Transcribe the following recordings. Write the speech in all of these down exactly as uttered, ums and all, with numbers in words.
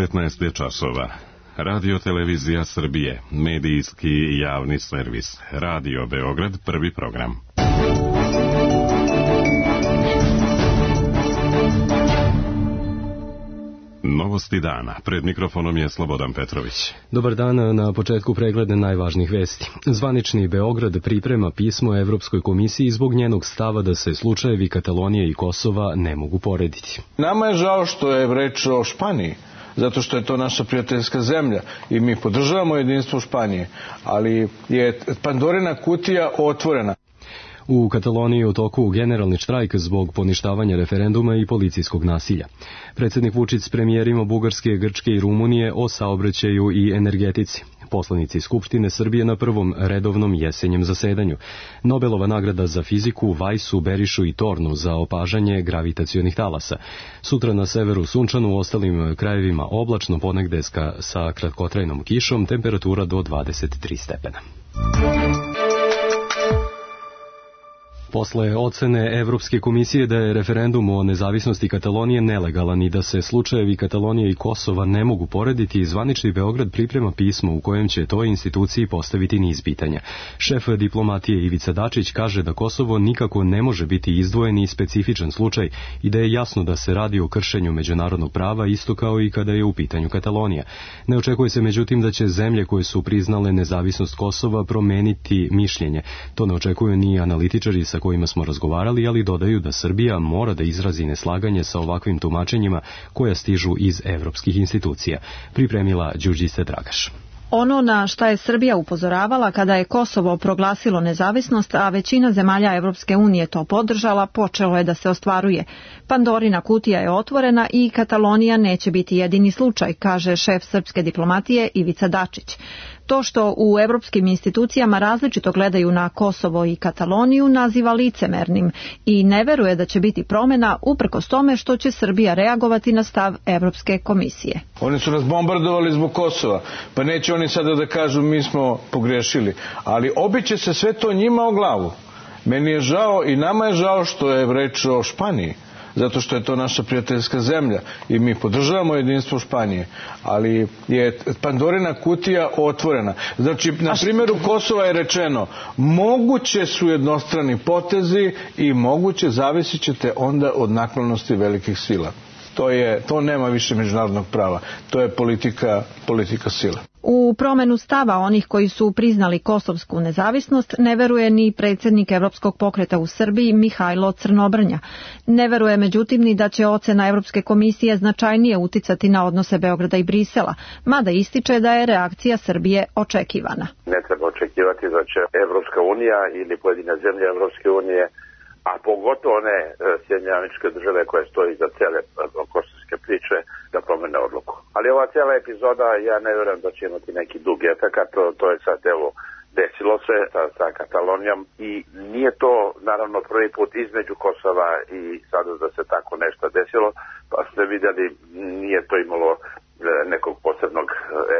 devetnaest je časova. Radio Televizija Srbije, medijski javni servis. Radio Beograd, prvi program. Novosti dana. Pred mikrofonom je Slobodan Petrović. Dobar dan, na početku pregleda najvažnijih vesti. Zvanični Beograd priprema pismo Evropskoj komisiji zbog njenog stava da se slučajevi Katalonije i Kosova ne mogu porediti. Nama je žao što je reč o Španiji, zato što je to naša prijateljska zemlja i mi podržavamo jedinstvo Španije, ali je Pandorina kutija otvorena. U Kataloniji u toku generalni štrajk zbog poništavanja referenduma i policijskog nasilja. Predsjednik Vučić s premijerima Bugarske, Grčke i Rumunije o saobraćaju i energetici. Poslanici Skupštine Srbije na prvom redovnom jesenjem zasedanju. Nobelova nagrada za fiziku Vajsu, Berišu i Tornu za opažanje gravitacionih talasa. Sutra na severu sunčano, u ostalim krajevima oblačno, ponegde sa kratkotrajnom kišom, temperatura do dvadeset tri stepena. Posle ocene Evropske komisije da je referendum o nezavisnosti Katalonije nelegalan i da se slučajevi Katalonije i Kosova ne mogu porediti, zvanični Beograd priprema pismo u kojem će toj instituciji postaviti niz pitanja. Šef diplomatije Ivica Dačić kaže da Kosovo nikako ne može biti izdvojeni i specifičan slučaj i da je jasno da se radi o kršenju međunarodnog prava isto kao i kada je u pitanju Katalonija. Ne očekuje se međutim da će zemlje koje su priznale nezavisnost Kosova promeniti mišljenje. To ne očekuju ni analitičari sa kojima smo razgovarali, ali dodaju da Srbija mora da izrazi neslaganje sa ovakvim tumačenjima koja stižu iz evropskih institucija. Pripremila Đurđica Dragaš. Ono na šta je Srbija upozoravala kada je Kosovo proglasilo nezavisnost, a većina zemalja Evropske unije to podržala, počelo je da se ostvaruje. Pandorina kutija je otvorena i Katalonija neće biti jedini slučaj, kaže šef srpske diplomatije Ivica Dačić. To što u evropskim institucijama različito gledaju na Kosovo i Kataloniju naziva licemernim i ne veruje da će biti promjena uprkos tome što će Srbija reagovati na stav Evropske komisije. Oni su nas bombardovali zbog Kosova, pa neće oni sada da kažu mi smo pogrešili, ali obiće se sve to njima o glavu. Meni je žao i nama je žao što je reč o Španiji, zato što je to naša prijateljska zemlja i mi podržavamo jedinstvo Španije, ali je Pandorina kutija otvorena. Znači, na primjeru Kosova je rečeno, moguće su jednostrani potezi i moguće zavisit ćete onda od naklonosti velikih sila. To je, to nema više međunarodnog prava. To je politika, politika sila. U promjenu stava onih koji su priznali kosovsku nezavisnost ne veruje ni predsjednik Evropskog pokreta u Srbiji Mihajlo Crnobrnja. Ne veruje međutim ni da će ocena Evropske komisije značajnije uticati na odnose Beograda i Brisela, mada ističe da je reakcija Srbije očekivana. Ne treba očekivati da će Evropska unija ili pojedine zemlje Evropske unije, a pogotovo one Sjedinjene Američke Države koje stoji za cele kosovske priče, da promene odluku. Ali ova cijela epizoda, ja ne vjerujem da će imati neki dug efekat, to, to je sad evo desilo se sa, sa Katalonijom i nije to naravno prvi put između Kosova i sada da se tako nešto desilo, pa ste vidjeli nije to imalo nekog posebnog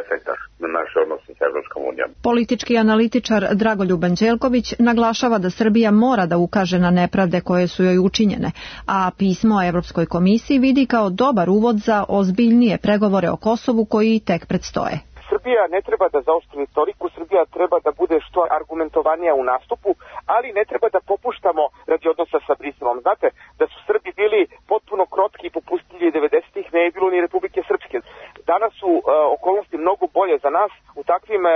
efekta na naše odnose sa Evropskom unijom. Politički analitičar Dragoljub Anđelković naglašava da Srbija mora da ukaže na nepravde koje su joj učinjene, a pismo Evropskoj komisiji vidi kao dobar uvod za ozbiljnije pregovore o Kosovu koji tek predstoje. Srbija ne treba da zaostri retoriku, Srbija treba da bude što argumentovanija u nastupu, ali ne treba da popuštamo radi odnosa sa Briselom. Znate, da su Srbi bili potpuno krotki i popustljivi devedesetih, ne je bilo ni Republike Srpske. Danas su uh, okolnosti mnogo bolje za nas. U takvim uh,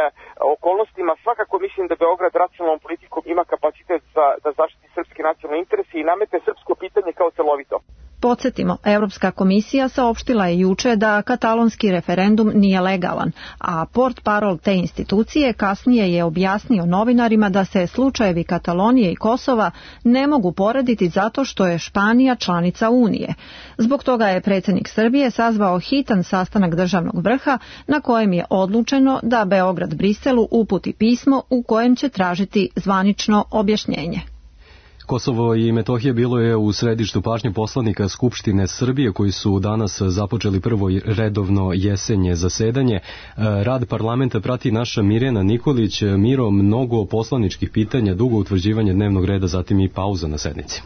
okolnostima svakako mislim da Beograd racionalnom politikom ima kapacitet za, da zaštiti srpske nacionalne interese i namete srpsko pitanje kao celovito. Podsjetimo, Evropska komisija saopštila je juče da katalonski referendum nije legalan, a portparol te institucije kasnije je objasnio novinarima da se slučajevi Katalonije i Kosova ne mogu porediti zato što je Španija članica Unije. Zbog toga je predsjednik Srbije sazvao hitan sastanak državnog vrha na kojem je odlučeno da Beograd Briselu uputi pismo u kojem će tražiti zvanično objašnjenje. Kosovo i Metohija bilo je u središtu pažnje poslanika Skupštine Srbije koji su danas započeli prvo redovno jesenje zasedanje. Rad parlamenta prati naša Mirjana Nikolić. Miro, mnogo poslaničkih pitanja, dugo utvrđivanje dnevnog reda, zatim i pauza na sednici.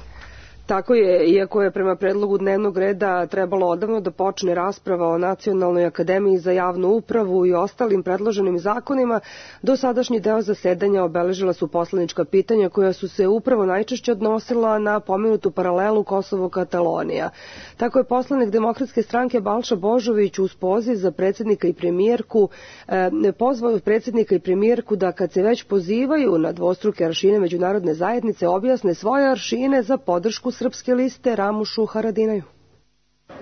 Tako je, iako je prema predlogu dnevnog reda trebalo odavno da počne rasprava o Nacionalnoj akademiji za javnu upravu i ostalim predloženim zakonima, dosadašnji deo zasedanja obeležila su poslanička pitanja koja su se upravo najčešće odnosila na pomenutu paralelu Kosovo-Katalonija. Tako je poslanik Demokratske stranke Balša Božović uz poziv za predsjednika i premijerku eh, pozvao predsjednika i premijerku da kad se već pozivaju na dvostruke aršine međunarodne zajednice objasne svoje aršine za podršku Srpske liste Ramušu Haradinaju.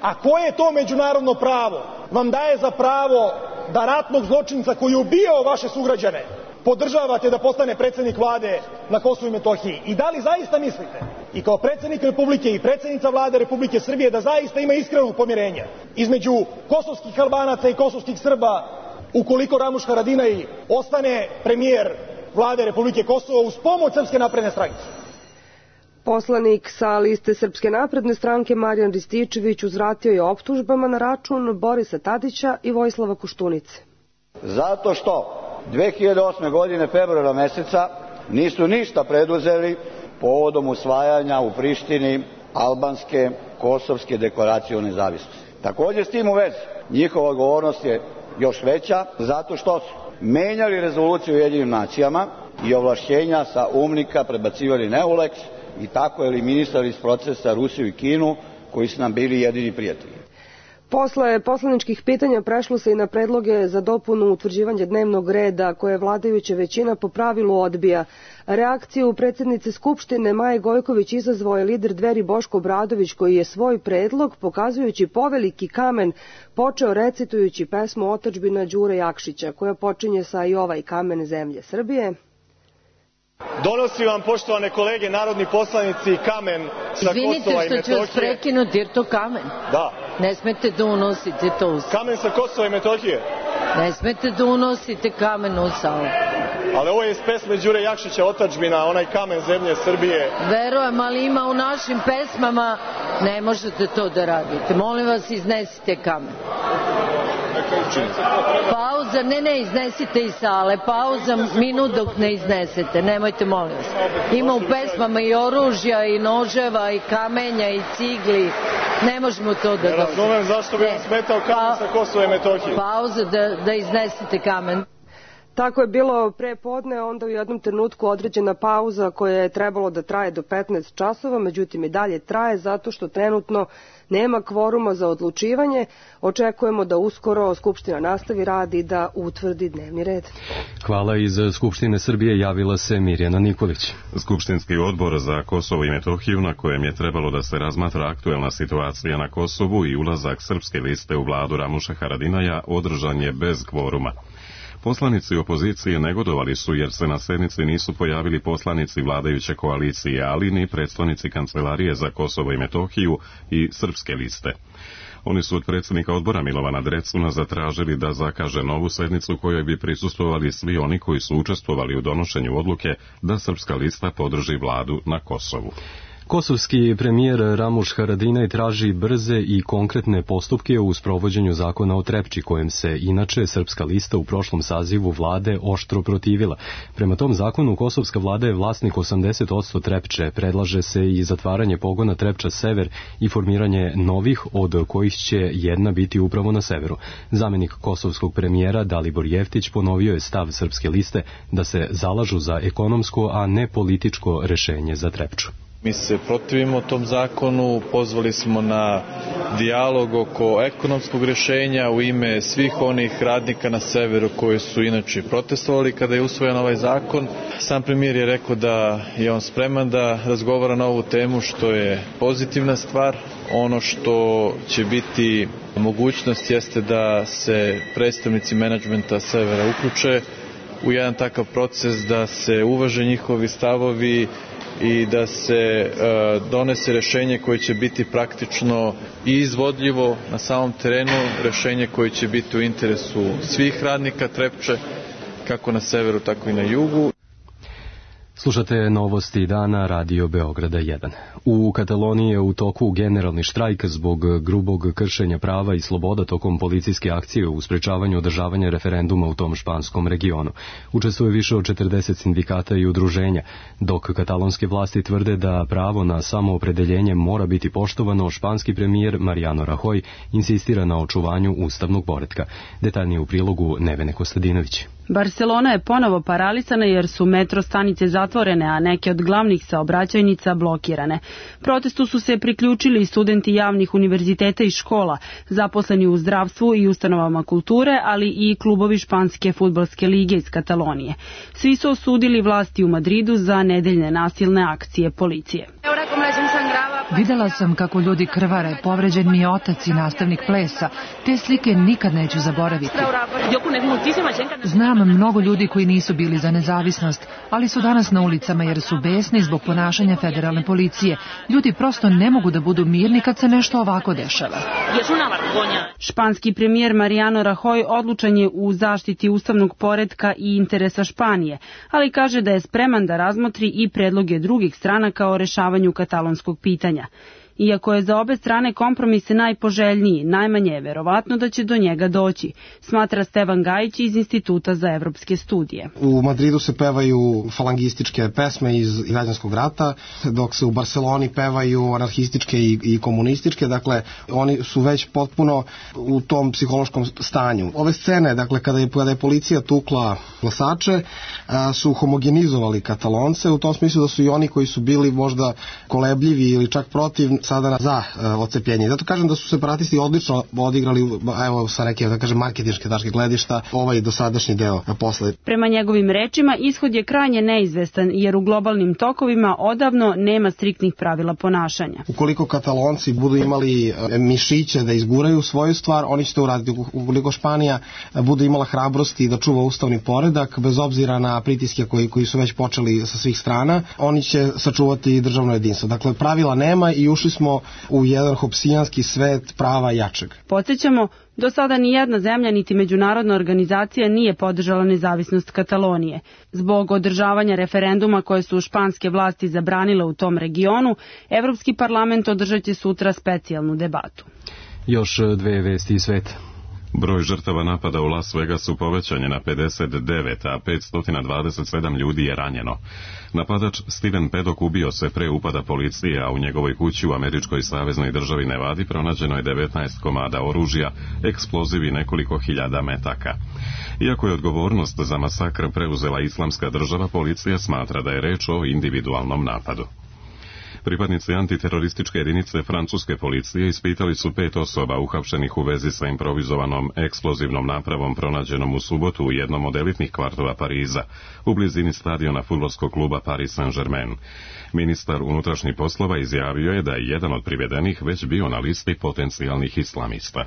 A koje to međunarodno pravo vam daje za pravo da ratnog zločinca koji je ubijao vaše sugrađane podržavate da postane predsjednik vlade na Kosovu i Metohiji? I da li zaista mislite i kao predsjednik Republike i predsjednica vlade Republike Srbije da zaista ima iskrenog pomirenja između kosovskih Albanaca i kosovskih Srba ukoliko Ramuš Haradinaj ostane premijer vlade Republike Kosovo uz pomoć Srpske napredne stranke? Poslanik sa liste Srpske napredne stranke Marijan Rističević uzvratio je optužbama na račun Borisa Tadića i Vojislava Koštunice. Zato što dve hiljade osme. godine februara meseca nisu ništa preduzeli povodom usvajanja u Prištini albanske kosovske deklaracije o nezavisnosti. Također s tim u vezi njihova odgovornost je još veća zato što su menjali rezoluciju u Ujedinjenim nacijama i ovlašćenja sa UNMIK-a prebacivali na EULEX i tako eliminisali iz procesa Rusiju i Kinu koji su nam bili jedini prijatelji. Posle poslaničkih pitanja prešlo se i na predloge za dopunu utvrđivanja dnevnog reda koje vladajuća većina po pravilu odbija. Reakciju predsjednice Skupštine Maje Gojković izazvao je lider Dveri Boško Obradović koji je svoj predlog, pokazujući poveliki kamen, počeo recitujući pesmu Otadžbina Đure Jakšića koja počinje sa I ovaj kamen zemlje Srbije. Donosi vam, poštovane kolege, narodni poslanici, kamen sa Kosova i Metohije. Izvinite što ću vas prekinuti, jer to kamen. Da. Ne smete da unosite to u salu. Kamen sa Kosova i Metohije? Ne smete da unosite kamen u salu. Ali ovo je iz pesme Đure Jakšića, Otadžbina, onaj kamen zemlje Srbije. Verujem, ali ima u našim pesmama, ne možete to da radite. Molim vas, iznesite kamen. Pauza, ne, ne, iznesite iz sale. Pauza, minut dok ne iznesete. Nemojte, molim vas. Ima u pesmama i oružja, i noževa, i kamenja, i cigli. Ne možemo to da dozvolimo. Ne razumem zašto bi vam smetao kamen sa Kosova i Metohije. Pauza, da, da iznesete kamen. Tako je bilo pre podne, onda u jednom trenutku određena pauza koja je trebalo da traje do petnaest časova, međutim i dalje traje zato što trenutno nema kvoruma za odlučivanje. Očekujemo da uskoro Skupština nastavi rad i da utvrdi dnevni red. Hvala. Iz Skupštine Srbije javila se Mirjana Nikolić. Skupštinski odbor za Kosovo i Metohiju, na kojem je trebalo da se razmatra aktuelna situacija na Kosovu i ulazak Srpske liste u vladu Ramuša Haradinaja, održan je bez kvoruma. Poslanici opozicije negodovali su jer se na sednici nisu pojavili poslanici vladajuće koalicije, ali ni predstavnici Kancelarije za Kosovo i Metohiju i Srpske liste. Oni su od predsjednika odbora Milovana Drecuna zatražili da zakaže novu sednicu kojoj bi prisustvovali svi oni koji su učestvovali u donošenju odluke da Srpska lista podrži vladu na Kosovu. Kosovski premijer Ramuš Haradinaj traži brze i konkretne postupke u sprovođenju zakona o Trepči, kojem se inače Srpska lista u prošlom sazivu vlade oštro protivila. Prema tom zakonu kosovska vlada je vlasnik osamdeset posto Trepče, predlaže se i zatvaranje pogona Trepča Sever i formiranje novih, od kojih će jedna biti upravo na severu. Zamenik kosovskog premijera Dalibor Jeftić ponovio je stav Srpske liste da se zalažu za ekonomsko, a ne političko rešenje za Trepču. Mi se protivimo tom zakonu, pozvali smo na dijalog oko ekonomskog rješenja u ime svih onih radnika na severu koji su inače protestovali kada je usvojen ovaj zakon. Sam premijer je rekao da je on spreman da razgovara na ovu temu, što je pozitivna stvar. Ono što će biti mogućnost jeste da se predstavnici menadžmenta severa uključe u jedan takav proces, da se uvaže njihovi stavovi i da se e, donese rešenje koje će biti praktično i izvodljivo na samom terenu, rešenje koje će biti u interesu svih radnika Trepče, kako na severu, tako i na jugu. Slušate novosti dana Radio Beograda jedan. U Kataloniji je u toku generalni štrajk zbog grubog kršenja prava i sloboda tokom policijske akcije u sprečavanju održavanja referenduma u tom španskom regionu. Učestvuje više od četrdeset sindikata i udruženja, dok katalonske vlasti tvrde da pravo na samoopredeljenje mora biti poštovano. Španski premijer Mariano Rajoy insistira na očuvanju ustavnog poretka. Detaljnije u prilogu Nevene Kostadinović. Barcelona je ponovo paralisana jer su metro stanice zatvorene, a neke od glavnih saobraćajnica blokirane. Protestu su se priključili i studenti javnih univerziteta i škola, zaposleni u zdravstvu i ustanovama kulture, ali i klubovi španske fudbalske lige iz Katalonije. Svi su osudili vlasti u Madridu za nedeljne nasilne akcije policije. Videla sam kako ljudi krvare, povređen mi je otac i nastavnik plesa. Te slike nikad neću zaboraviti. Znam mnogo ljudi koji nisu bili za nezavisnost, ali su danas na ulicama jer su besni zbog ponašanja federalne policije. Ljudi prosto ne mogu da budu mirni kad se nešto ovako dešava. Španski premijer Mariano Rajoy odlučan je u zaštiti ustavnog poretka i interesa Španije, ali kaže da je spreman da razmotri i predloge drugih stranaka o rešavanju katalonskog pitanja. Iako je za obe strane kompromis najpoželjniji, najmanje je verovatno da će do njega doći, smatra Stevan Gajić iz Instituta za evropske studije. U Madridu se pevaju falangističke pesme iz građanskog rata, dok se u Barceloni pevaju anarhističke i, i komunističke, dakle oni su već potpuno u tom psihološkom stanju. Ove scene, dakle kada je, kada je policija tukla glasače, a, su homogenizovali Katalonce, u tom smislu da su i oni koji su bili možda kolebljivi ili čak protiv sada za uh, odcepljenje. Zato kažem da su separatisti odlično odigrali, evo sa neke, da kažem, marketinške tačke gledišta, ovaj dosadašnji deo posle. Prema njegovim rečima, ishod je krajnje neizvestan, jer u globalnim tokovima odavno nema striktnih pravila ponašanja. Ukoliko Katalonci budu imali mišiće da izguraju svoju stvar, oni će to uraditi. Ukoliko Španija bude imala hrabrosti da čuva ustavni poredak, bez obzira na pritiske koji, koji su već počeli sa svih strana, oni će sačuvati državno jedinstvo. Dakle, pravila nema i ušli smo u jedan hopsijanski svet prava jačeg. Podsjećamo, do sada ni jedna zemlja niti međunarodna organizacija nije podržala nezavisnost Katalonije. Zbog održavanja referenduma koje su španske vlasti zabranile u tom regionu, Evropski parlament održat će sutra specijalnu debatu. Još dve vesti iz sveta. Broj žrtava napada u Las Vegasu povećan je na pedeset devet, a petsto dvadeset sedam ljudi je ranjeno. Napadač Steven Paddock ubio se pre upada policije, a u njegovoj kući u američkoj saveznoj državi Nevadi pronađeno je devetnaest komada oružja, eksploziv i nekoliko hiljada metaka. Iako je odgovornost za masakr preuzela Islamska država, policija smatra da je reč o individualnom napadu. Pripadnici antiterorističke jedinice francuske policije ispitali su pet osoba uhapšenih u vezi sa improvizovanom eksplozivnom napravom pronađenom u subotu u jednom od elitnih kvartova Pariza, u blizini stadiona fudbalskog kluba Paris Saint-Germain. Ministar unutrašnjih poslova izjavio je da je jedan od privedenih već bio na listi potencijalnih islamista.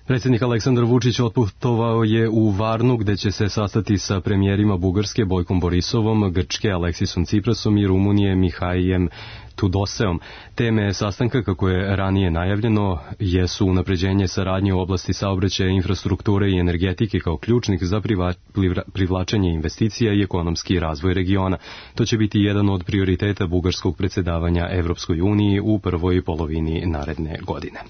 Predsjednik Aleksandar Vučić otputovao je u Varnu gde će se sastati sa premijerima Bugarske Bojkom Borisovom, Grčke Aleksisom Ciprasom i Rumunije Mihaijem Tudoseom. Teme sastanka, kako je ranije najavljeno, jesu unapređenje saradnje u oblasti saobraćaja, infrastrukture i energetike kao ključnih za privlačenje investicija i ekonomski razvoj regiona. To će biti jedan od prioriteta bugarskog predsjedavanja Evropskoj uniji u prvoj polovini naredne godine.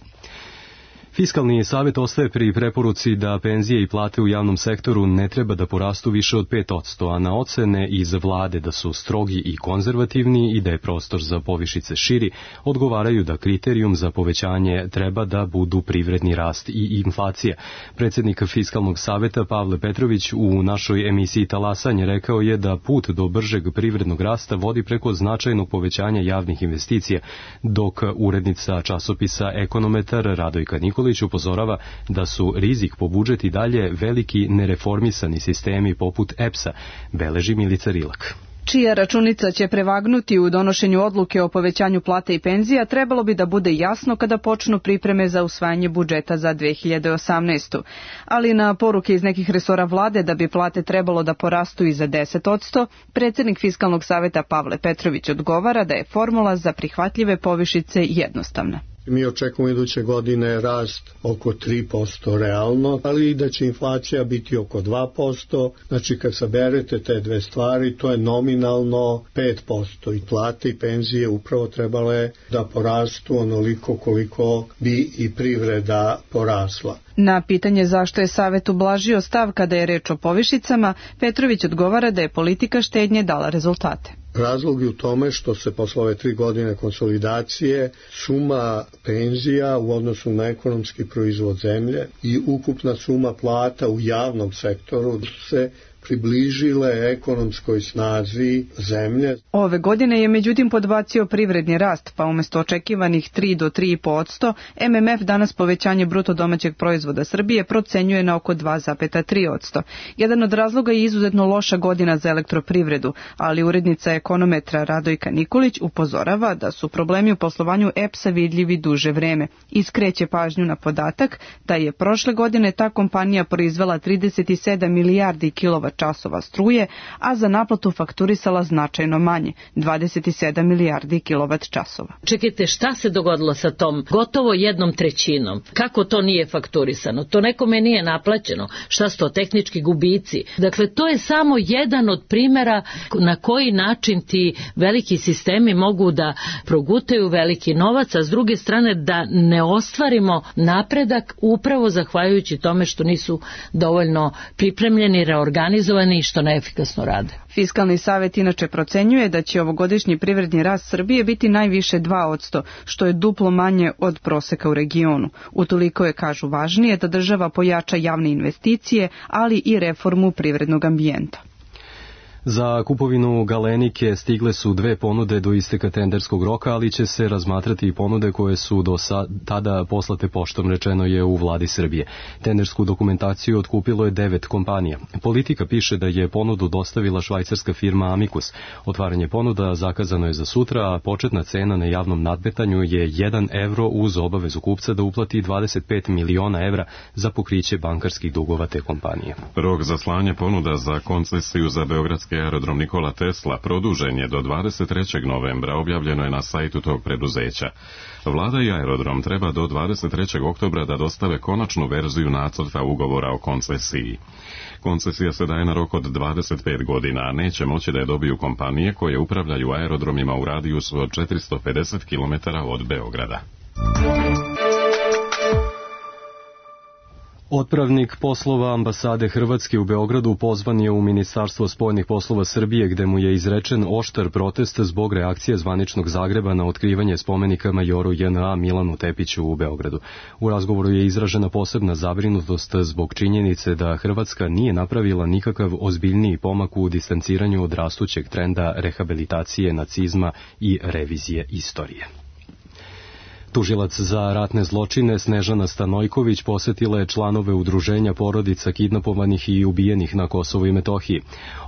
Fiskalni savjet ostaje pri preporuci da penzije i plate u javnom sektoru ne treba da porastu više od pet posto, a na ocene iz vlade da su strogi i konzervativni i da je prostor za povišice širi, odgovaraju da kriterijum za povećanje treba da budu privredni rast i inflacija. Predsjednik Fiskalnog savjeta Pavle Petrović u našoj emisiji Talasanje rekao je da put do bržeg privrednog rasta vodi preko značajnog povećanja javnih investicija, dok urednica časopisa Ekonometar Radojka Nikolić upozorava da su rizik po budžet i dalje veliki nereformisani sistemi poput E P S-a, beleži Milica Rilak. Čija računica će prevagnuti u donošenju odluke o povećanju plata i penzija trebalo bi da bude jasno kada počnu pripreme za usvajanje budžeta za dve hiljade osamnaestu. Ali na poruke iz nekih resora vlade da bi plate trebalo da porastu i za deset posto, predsjednik Fiskalnog savjeta Pavle Petrović odgovara da je formula za prihvatljive povišice jednostavna. Mi očekujemo iduće godine rast oko tri posto realno, ali i da će inflacija biti oko dva posto. Znači kad saberete te dve stvari, to je nominalno pet posto i plate i penzije upravo trebale da porastu onoliko koliko bi i privreda porasla. Na pitanje zašto je Savet ublažio stav kada je reč o povišicama, Petrović odgovara da je politika štednje dala rezultate. Razlog je u tome što se posle ove tri godine konsolidacije suma penzija u odnosu na ekonomski proizvod zemlje i ukupna suma plata u javnom sektoru se približile ekonomskoj snazi zemlje. Ove godine je međutim podbacio privredni rast, pa umjesto očekivanih tri do tri i po posto, M M F danas povećanje bruto domaćeg proizvoda Srbije procenjuje na oko dva zarez tri posto. Jedan od razloga je izuzetno loša godina za elektroprivredu, ali urednica ekonometra Radojka Nikolić upozorava da su problemi u poslovanju E P S-a vidljivi duže vreme i skreće pažnju na podatak da je prošle godine ta kompanija proizvela trideset sedam milijardi kilovat časova struje, a za naplatu fakturisala značajno manje, dvadeset sedam milijardi kilovat časova. Čekajte, šta se dogodilo sa tom gotovo jednom trećinom? Kako to nije fakturisano? To nekome nije naplaćeno? Šta su to tehnički gubici? Dakle, to je samo jedan od primjera na koji način ti veliki sistemi mogu da progutaju veliki novac, a s druge strane da ne ostvarimo napredak upravo zahvaljujući tome što nisu dovoljno pripremljeni, reorganizovani i što neefikasno rade. Fiskalni savet inače procenjuje da će ovogodišnji privredni rast Srbije biti najviše dva posto, što je duplo manje od proseka u regionu. Utoliko je, kažu, važnije da država pojača javne investicije, ali i reformu privrednog ambijenta. Za kupovinu Galenike stigle su dve ponude do isteka tenderskog roka, ali će se razmatrati i ponude koje su do tada poslate poštom, rečeno je u vladi Srbije. Tendersku dokumentaciju otkupilo je devet kompanija. Politika piše da je ponudu dostavila švajcarska firma Amicus. Otvaranje ponuda zakazano je za sutra, a početna cena na javnom nadmetanju je jedan evro uz obavezu kupca da uplati dvadeset pet miliona evra za pokriće bankarskih dugova te kompanije. Rok za slanje ponuda za koncesiju za beogradski aerodrom Nikola Tesla produžen je do dvadeset trećeg novembra, objavljeno je na sajtu tog preduzeća. Vlada i aerodrom treba do dvadeset trećeg oktobra da dostave konačnu verziju nacrta ugovora o koncesiji. Koncesija se daje na rok od dvadeset pet godina, a neće moći da je dobiju kompanije koje upravljaju aerodromima u radijusu od četiristo pedeset kilometara od Beograda. Otpravnik poslova ambasade Hrvatske u Beogradu pozvan je u Ministarstvo spoljnih poslova Srbije, gde mu je izrečen oštar protest zbog reakcije zvaničnog Zagreba na otkrivanje spomenika majoru J N A Milanu Tepiću u Beogradu. U razgovoru je izražena posebna zabrinutost zbog činjenice da Hrvatska nije napravila nikakav ozbiljniji pomak u distanciranju od rastućeg trenda rehabilitacije nacizma i revizije istorije. Tužilac za ratne zločine Snežana Stanojković posetila je članove udruženja porodica kidnapovanih i ubijenih na Kosovu i Metohiji.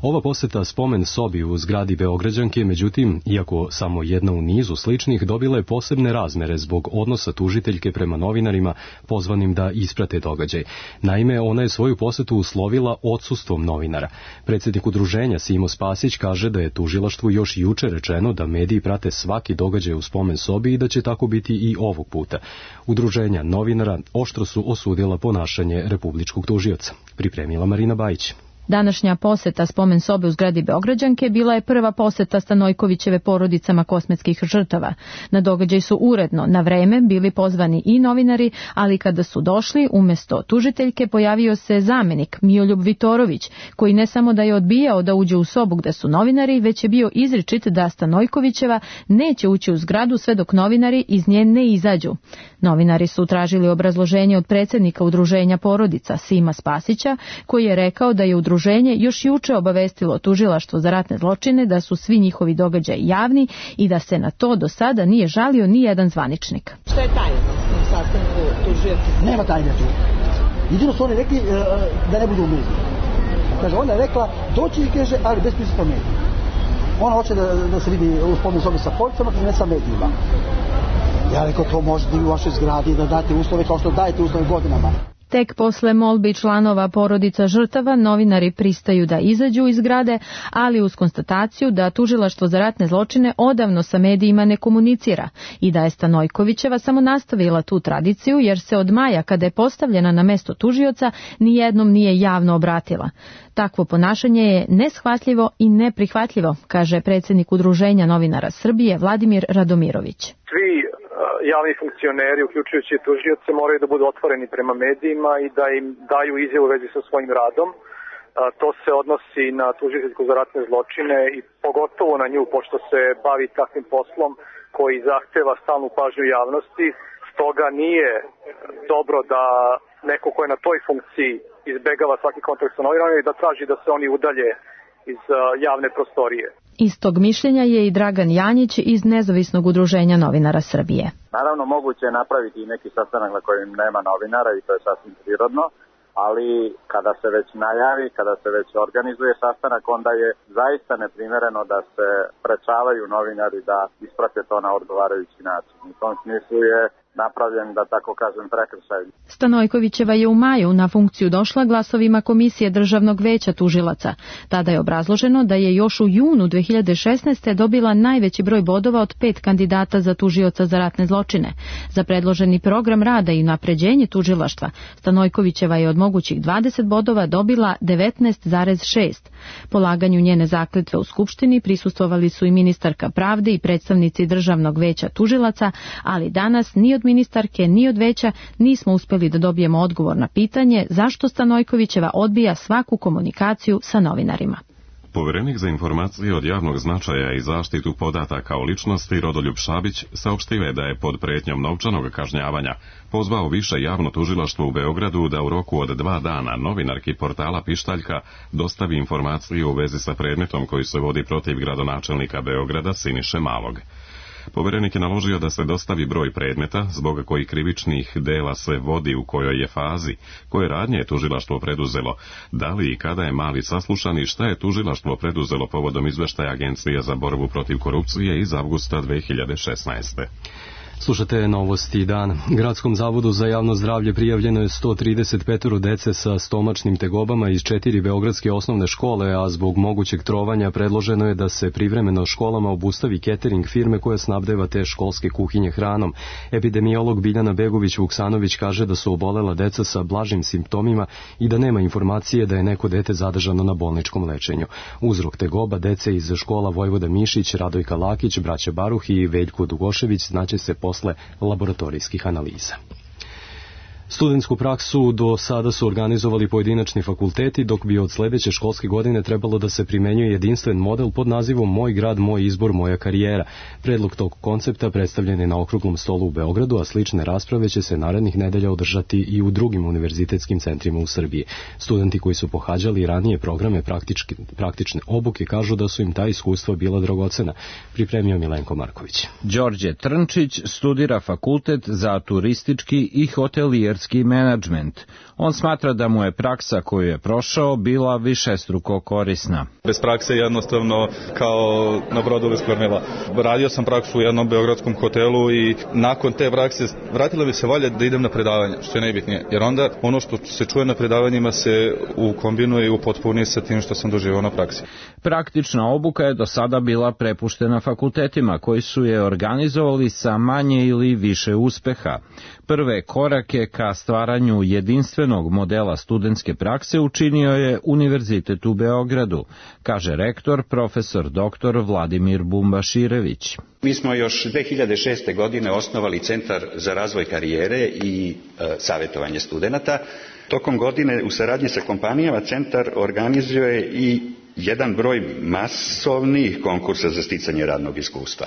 Ova poseta spomen sobi u zgradi Beograđanke, međutim, iako samo jedna u nizu sličnih, dobila je posebne razmere zbog odnosa tužiteljke prema novinarima pozvanim da isprate događaj. Naime, ona je svoju posetu uslovila odsustvom novinara. Predsjednik udruženja Simo Spasić kaže da je tužilaštvu još juče rečeno da mediji prate svaki događaj u spomen sobi i da će tako biti i ovog puta. Udruženja novinara oštro su osudila ponašanje republičkog tužioca. Pripremila Marina Bajić. Današnja poseta spomen sobe u zgradi Beograđanke bila je prva poseta Stanojkovićeve porodicama kosmetskih žrtava. Na događaj su uredno, na vreme, bili pozvani i novinari, ali kada su došli, umjesto tužiteljke pojavio se zamenik Mijoljub Vitorović, koji ne samo da je odbijao da uđe u sobu gde su novinari, već je bio izričit da Stanojkovićeva neće ući u zgradu sve dok novinari iz nje ne izađu. Novinari su tražili obrazloženje od predsjednika udruženja porodica Sima Spasića, koji je rekao da je udruženje Udruženje još juče obavestilo tužilaštvo za ratne zločine da su svi njihovi događaji javni i da se na to do sada nije žalio ni jedan zvaničnik. Šta je tajna u sastanku tužioca? Nema tajne tu. Jedino su oni rekli uh, da ne budu u mediji. Kaže, ona je rekla, doći i kaže, ali bez prisustva medija. Ona hoće da, da se vidi u spomen sobi sa policama, ne sa medijima. Ja rekao, to možete i u vašoj zgradi da date uslove kao što dajete uslove godinama. Tek posle molbi članova porodica žrtava novinari pristaju da izađu iz zgrade, ali uz konstataciju da Tužilaštvo za ratne zločine odavno sa medijima ne komunicira i da je Stanojkovićeva samo nastavila tu tradiciju jer se od maja kada je postavljena na mesto tužioca nijednom nije javno obratila. Takvo ponašanje je neshvatljivo i neprihvatljivo, kaže predsjednik Udruženja novinara Srbije Vladimir Radomirović. Svi javni funkcioneri, uključujući tužioce, moraju da budu otvoreni prema medijima i da im daju izjavu u vezi sa svojim radom. To se odnosi na tužiteljku za ratne zločine i pogotovo na nju, pošto se bavi takvim poslom koji zahteva stalnu pažnju javnosti. Stoga nije dobro da neko ko je na toj funkciji izbegava svaki kontakt sa novinarima i da traži da se oni udalje iz javne prostorije. Istog mišljenja je i Dragan Janjić iz Nezavisnog udruženja novinara Srbije. Naravno, moguće je napraviti i neki sastanak na kojem nema novinara i to je sasvim prirodno, ali kada se već najavi, kada se već organizuje sastanak, onda je zaista neprimereno da se sprečavaju novinari da isprate to na odgovarajući način. U tom smislu je napravljen, da tako kažem, prekršaj. Stanojkovićeva je u maju na funkciju došla glasovima Komisije Državnog veća tužilaca. Tada je obrazloženo da je još u junu dve hiljade šesnaeste. dobila najveći broj bodova od pet kandidata za tužioca za ratne zločine. Za predloženi program rada i unapređenje tužilaštva, Stanojkovićeva je od mogućih dvadeset bodova dobila devetnaest zarez šest. Polaganju njene zakletve u Skupštini prisustvovali su i ministarka pravde i predstavnici Državnog veća tužilaca, ali danas ni od ministarke ni od veća nismo uspjeli da dobijemo odgovor na pitanje zašto Stanojkovićeva odbija svaku komunikaciju sa novinarima. Poverenik za informacije od javnog značaja i zaštitu podataka o ličnosti Rodoljub Šabić saopštio je da je pod pretnjom novčanog kažnjavanja pozvao više javno tužilaštvo u Beogradu da u roku od dva dana novinarki portala Pištaljka dostavi informaciju u vezi sa predmetom koji se vodi protiv gradonačelnika Beograda Siniše Malog. Poverenik je naložio da se dostavi broj predmeta zbog kojih krivičnih dela se vodi, u kojoj je fazi, koje radnje je tužilaštvo preduzelo, da li i kada je Mali saslušan i šta je tužilaštvo preduzelo povodom izveštaja Agencije za borbu protiv korupcije iz avgusta dve hiljade šesnaeste. Slušate Novosti dan. Gradskom zavodu za javno zdravlje prijavljeno je sto trideset pet dece sa stomačnim tegobama iz četiri beogradske osnovne škole, a zbog mogućeg trovanja predloženo je da se privremeno školama obustavi catering firme koja snabdeva te školske kuhinje hranom. Epidemiolog Biljana Begović-Vuksanović kaže da su obolela deca sa blažim simptomima i da nema informacije da je neko dete zadržano na bolničkom lečenju. Uzrok tegoba dece iz škola Vojvoda Mišić, Radojka Lakić, braća Baruh i Veljko Dugošević znaće se posle laboratorijskih analiza. Studentsku praksu do sada su organizovali pojedinačni fakulteti, dok bi od sljedeće školske godine trebalo da se primenjuje jedinstven model pod nazivom Moj grad, moj izbor, moja karijera. Predlog tog koncepta predstavljen je na okruglom stolu u Beogradu, a slične rasprave će se narednih nedelja održati i u drugim univerzitetskim centrima u Srbiji. Studenti koji su pohađali ranije programe praktički, praktične obuke kažu da su im ta iskustva bila dragocena. Pripremio Milenko Marković. Đorđe Trnčić studira fakultet za turistički i hotelijerski menadžment. On smatra da mu je praksa koju je prošao bila višestruko korisna. Bez prakse jednostavno kao na brodu bez kormila. Radio sam praksu u jednom beogradskom hotelu i nakon te prakse vratila bi se volja da idem na predavanje, što je najbitnije. Jer onda ono što se čuje na predavanjima se ukombinuje i upotpuni sa tim što sam doživao na praksi. Praktična obuka je do sada bila prepuštena fakultetima koji su je organizovali sa manje ili više uspeha. Prve korake ka stvaranju jedinstvenog modela studentske prakse učinio je Univerzitet u Beogradu, kaže rektor profesor doktor Vladimir Bumbaširević. Mi smo još dve hiljade šeste. godine osnovali Centar za razvoj karijere i e, savjetovanje studenata. Tokom godine u saradnji sa kompanijama centar organizuje i jedan broj masovnih konkursa za sticanje radnog iskustva.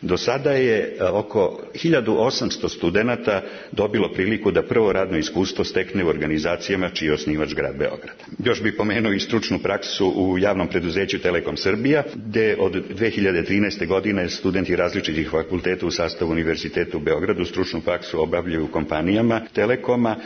Do sada je oko hiljadu osamsto studenata dobilo priliku da prvo radno iskustvo stekne u organizacijama čiji je osnivač grad Beograd. Još bih pomenuo i stručnu praksu u javnom preduzeću Telekom Srbija, gde od dve hiljade trinaeste. godine studenti različitih fakulteta u sastavu Univerziteta u Beogradu stručnu praksu obavljaju u kompanijama Telekoma.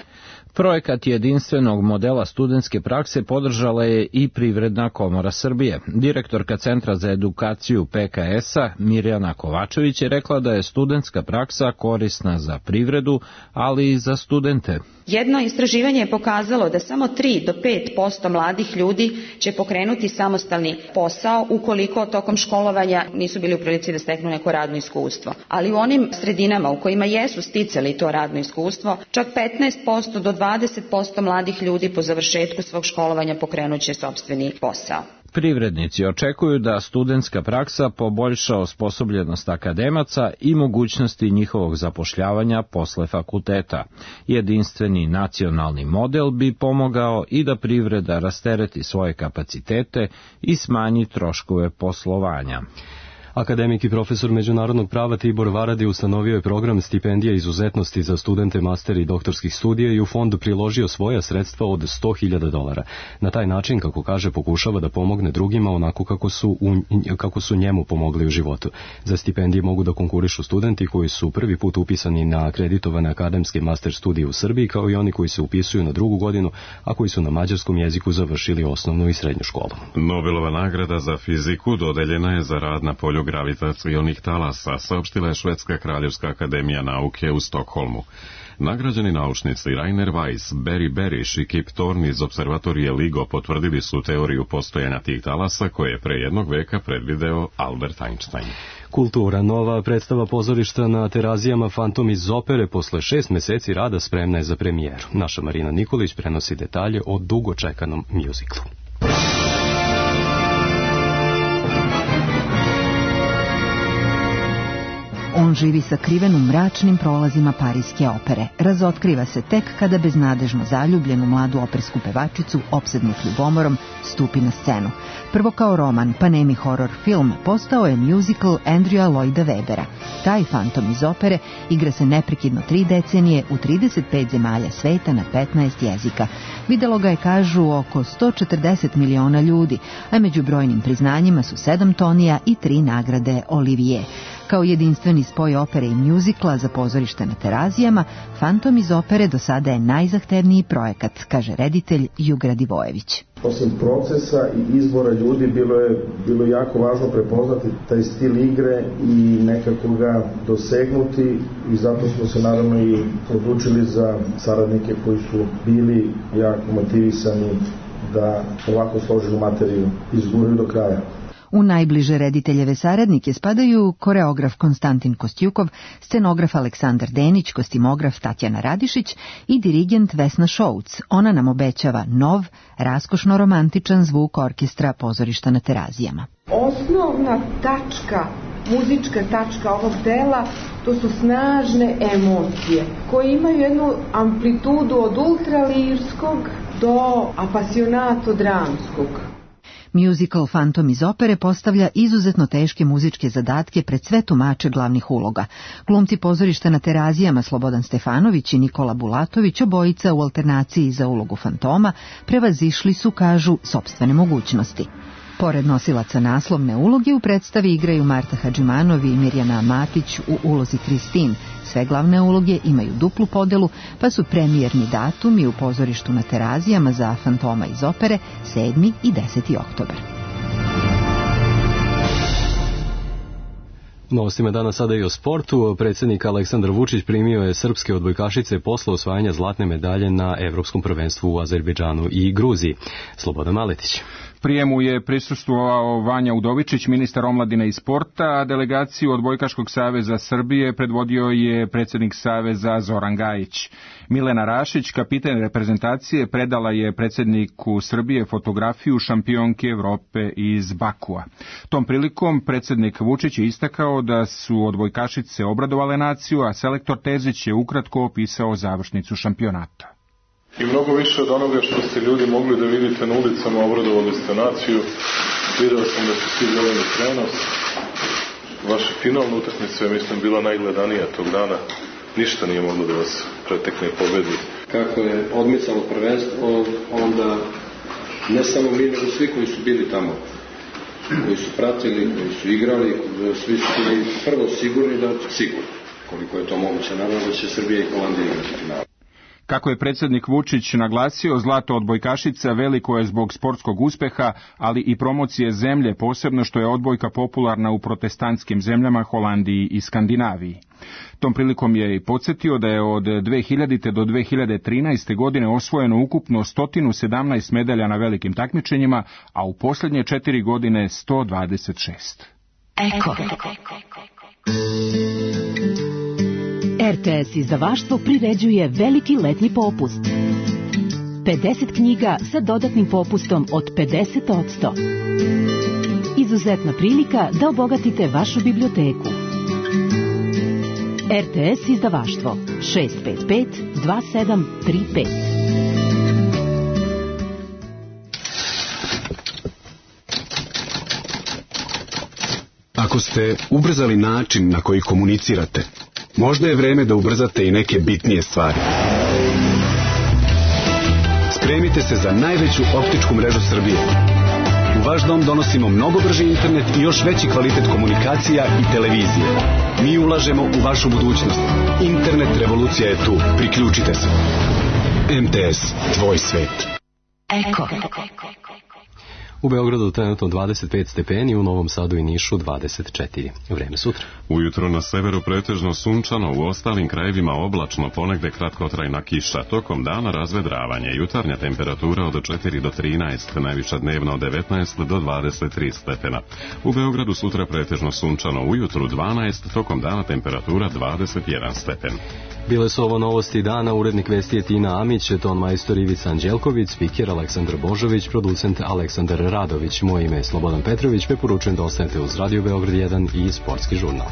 Projekat jedinstvenog modela studentske prakse podržala je i Privredna komora Srbije. Direktorka Centra za edukaciju P K S-a Mirjana Kovačević je rekla da je studentska praksa korisna za privredu, ali i za studente. Jedno istraživanje je pokazalo da samo tri do pet posto mladih ljudi će pokrenuti samostalni posao ukoliko tokom školovanja nisu bili u prilici da steknu neko radno iskustvo. Ali u onim sredinama u kojima jesu sticali to radno iskustvo, čak petnaest posto do dvadeset posto mladih ljudi po završetku svog školovanja pokrenuće sopstveni posao. Privrednici očekuju da studentska praksa poboljša osposobljenost akademaca i mogućnosti njihovog zapošljavanja posle fakulteta. Jedinstveni nacionalni model bi pomogao i da privreda rastereti svoje kapacitete i smanji troškove poslovanja. Akademik i profesor međunarodnog prava Tibor Varadi ustanovio je program stipendija izuzetnosti za studente master i doktorskih studija i u fond priložio svoja sredstva od sto hiljada dolara. Na taj način, kako kaže, pokušava da pomogne drugima onako kako su, u, kako su njemu pomogli u životu. Za stipendije mogu da konkurišu studenti koji su prvi put upisani na akreditovane akademske master studije u Srbiji, kao i oni koji se upisuju na drugu godinu, a koji su na mađarskom jeziku završili osnovnu i srednju školu. Nobelova nagrada za fiziku dodeljena je za rad na polju gravitacionih talasa, saopštila je Švedska kraljevska akademija nauke u Stokholmu. Nagrađeni naučnici Rainer Weiss, Barry Barish i Kip Thorne iz observatorije LIGO potvrdili su teoriju postojanja tih talasa koje je pre jednog veka predvideo Albert Einstein. Kultura. Nova predstava pozorišta na Terazijama Fantom iz opere posle šest meseci rada spremna je za premijeru. Naša Marina Nikolić prenosi detalje o dugo čekanom mjuziklu. On živi sakriven u mračnim prolazima Pariske opere. Razotkriva se tek kada beznadežno zaljubljenu mladu opersku pevačicu, opsednut ljubomorom, stupi na scenu. Prvo kao roman, pa nemi horor film, postao je musical Andrewa Lloyda Webbera. Taj fantom iz opere igra se neprekidno tri decenije u trideset pet zemalja sveta na petnaest jezika. Videlo ga je, kažu, oko sto četrdeset miliona ljudi, a među brojnim priznanjima su sedam Tonija i tri nagrade Olivier. Kao jedinstveni spoj opere i mjuzikla za pozorište na Terazijama, Fantom iz opere do sada je najzahtevniji projekat, kaže reditelj Jugra Divojević. Osim procesa i izbora ljudi, bilo je bilo jako važno prepoznati taj stil igre i nekako ga dosegnuti, i zato smo se naravno i odlučili za saradnike koji su bili jako motivisani da ovako složenu materiju izguraju do kraja. U najbliže rediteljeve saradnike spadaju koreograf Konstantin Kostjukov, scenograf Aleksandar Denić, kostimograf Tatjana Radišić i dirigent Vesna Šouc. Ona nam obećava nov, raskošno romantičan zvuk orkestra pozorišta na Terazijama. Osnovna tačka, muzička tačka ovog dela, to su snažne emocije koje imaju jednu amplitudu od ultralirskog do apasionato dramskog. Musical Fantom iz opere postavlja izuzetno teške muzičke zadatke pred sve tumače glavnih uloga. Glumci pozorišta na Terazijama Slobodan Stefanović i Nikola Bulatović, obojica u alternaciji za ulogu fantoma, prevazišli su, kažu, sopstvene mogućnosti. Pored nosilaca naslovne uloge u predstavi igraju Marta Hadžimanovi i Mirjana Matić u ulozi Kristin. Sve glavne uloge imaju duplu podelu, pa su premijerni datumi u pozorištu na Terazijama za Fantoma iz opere sedmi i deseti oktobar. Novostima dana sada i o sportu. Predsjednik Aleksandar Vučić primio je srpske odbojkašice posle osvajanja zlatne medalje na Evropskom prvenstvu u Azerbejdžanu i Gruziji. Slobodan Maletić. Prijemu je prisustvovao Vanja Udovičić, ministar omladine i sporta, a delegaciju Odbojkaškog saveza Srbije predvodio je predsjednik saveza Zoran Gajić. Milena Rašić, kapiten reprezentacije, predala je predsjedniku Srbije fotografiju šampionke Evrope iz Bakua. Tom prilikom predsjednik Vučić je istakao da su odbojkašice obradovale naciju, a selektor Terzić je ukratko opisao završnicu šampionata. I mnogo više od onoga što ste ljudi mogli da vidite na ulicama, obradovali ste naciju. Video sam da ste svi gledali prenos. Vaša finalna utakmica je, mislim, bila najgledanija tog dana. Ništa nije moglo da vas pretekne i pobedi. Kako je odmicalo prvenstvo, onda ne samo mi, nego svi koji su bili tamo, koji su pratili, koji su igrali, svi su bili prvo sigurni da sigurno, koliko je to moguće, naravno da će Srbija i Holandija igrati finale. Kako je predsjednik Vučić naglasio, zlato odbojkašica veliko je zbog sportskog uspeha, ali i promocije zemlje, posebno što je odbojka popularna u protestantskim zemljama, Holandiji i Skandinaviji. Tom prilikom je i podsjetio da je od dve hiljadite do dve hiljade trinaeste. godine osvojeno ukupno sto sedamnaest medalja na velikim takmičenjima, a u posljednje četiri godine sto dvadeset šest. Eko. R T S izdavaštvo priređuje veliki letnji popust. pedeset knjiga sa dodatnim popustom od pedeset posto. Izuzetna prilika da obogatite vašu biblioteku. R T S izdavaštvo šest pet pet dva sedam tri pet. Ako ste ubrzali način na koji komunicirate, možda je vreme da ubrzate i neke bitnije stvari. Spremite se za najveću optičku mrežu Srbije. U vaš dom donosimo mnogo brži internet i još veći kvalitet komunikacija i televizije. Mi ulažemo u vašu budućnost. Internet revolucija je tu. Priključite se. M T S, tvoj svet. Eko. U Beogradu trenutno dvadeset pet stepeni, u Novom Sadu i Nišu dvadeset četiri. Vreme sutra. Ujutro na severu pretežno sunčano, u ostalim krajevima oblačno, ponegde kratkotrajna kiša. Tokom dana razvedravanje, jutarnja temperatura od četiri do trinaest, najviša dnevna od devetnaest do dvadeset tri stepena. U Beogradu sutra pretežno sunčano, ujutru dvanaest, tokom dana temperatura dvadeset jedan stepen. Bile su ovo novosti dana, urednik vesti je Tina Amić, ton majstor Ivica Anđelković, spiker Aleksandar Božović, producent Aleksandar Radović. Moje ime je Slobodan Petrović, preporučujem da ostanete uz Radio Beograd jedan i Sportski žurnal.